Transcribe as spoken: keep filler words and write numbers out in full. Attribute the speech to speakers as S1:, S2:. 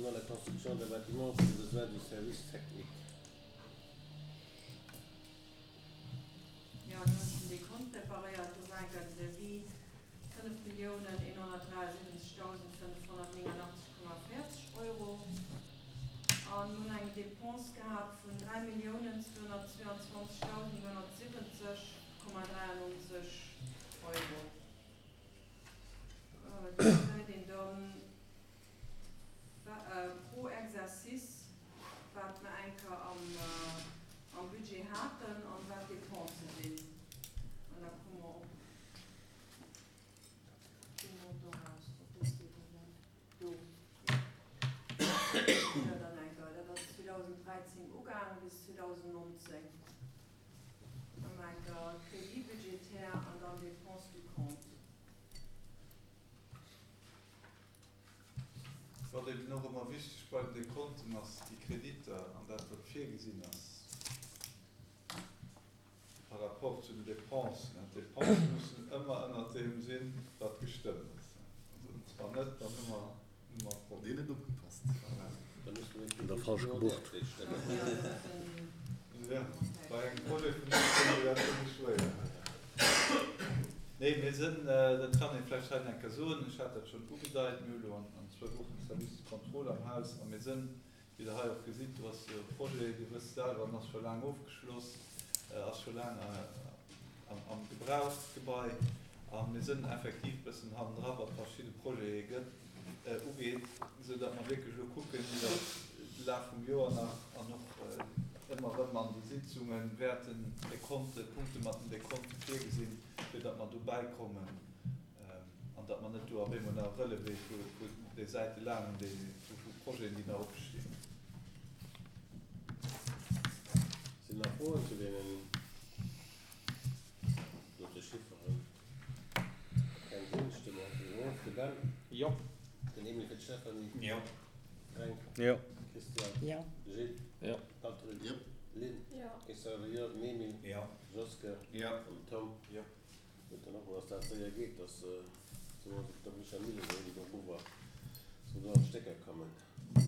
S1: la construction d'un bâtiment pour les besoins du service technique.
S2: Jo, dann hunn ech den Dekont preparéiert. Do war enker den Devis fënnef Milliounen eenhonnertdräiasiwwenzegdausend fënnefhonnertnéngeenachtzeg Komma véierzeg Euro an hunn eng Dépense gehat vun dräi Milliounen zweehonnertzweeanzwanzegdausend nonhonnertsiwwenzeg Komma dräiannonzeg Euro. Do gesäit een dann pro Exercice, wat mer eng Kéier am Budget haten an wat d'Dépense sinn. An da komme mer op dee Montant eraus, op dës Devis do. Jo, dann eng Kéier, dat ass zweedausenddräizéng ugaang bis zweedausendnonzéng. Dann eng Kéier Crédit budgétaire an dann Dépenses du compte.
S3: Wat eben och ëmmer wichteg bei den Dekonten ass, déi Kreditter an dat, wat virgesinn ass par rapport zu den Dépensen. D'Dépense mussen ëmmer ënnert deem sinn, wat gestëmmt ass. Also wann net, dann hu mer, hu mer e Problem.
S4: Deen net opgepasst.
S3: Voilà.
S1: Da musse mir
S5: Oder falsch gebucht.
S3: Ja, bei engem Projet vun deem Niveau, dat ass méi schwéier. Nee, mir sinn, dat kann ee vläicht hei nach eng Kéier soen, ech hat dat schonn ugedeit, mir hu elo an zwou Wochen de Service de contrôle am Haus a mir sinn, wéi Der hei och gesitt, do ass jo e Projet, Dir wësst selwer, en ass scho laang ofgeschloss, ass scho laang am Gebrauch, d'Gebai, a mir sinn effektiv e bëssen hannendra wat verschidde Projete gëtt, ugeet, esou datt mer wierklech elo kucken iwwert de Laf vum Joer nach an och ëmmer erëm an de Sitzunge wäerten Dekonte, Punkte mat den Dekonte virgesinn, fir datt mer dobäi kommen an datt mer net do op eemol nach e Relevé vu déi Säite laang hunn, déi vu Projeten, déi nach opstinn.
S1: Sinn nach Froen zu deenen dote Chifferen? Keng sinn, stëmme mer doriwwer of. De Ben?
S6: Jo.
S1: Den Emile fir d'Stéphanie?
S6: Jo.
S1: Fränk?
S5: Jo.
S1: Christian?
S7: Jo.
S1: Gilles?
S6: Jo.
S1: Patrick?
S4: Jo.
S1: Lynn?
S8: Jo.
S1: Ech soe jo. Den Emile?
S6: Jo.
S1: Joske?
S3: Jo.
S1: An den Tom?
S3: Jo.
S1: Huet dann och mol, dass dat séier geet, dass sou der Michel Mille do erover sou do an d'Stécker kommen.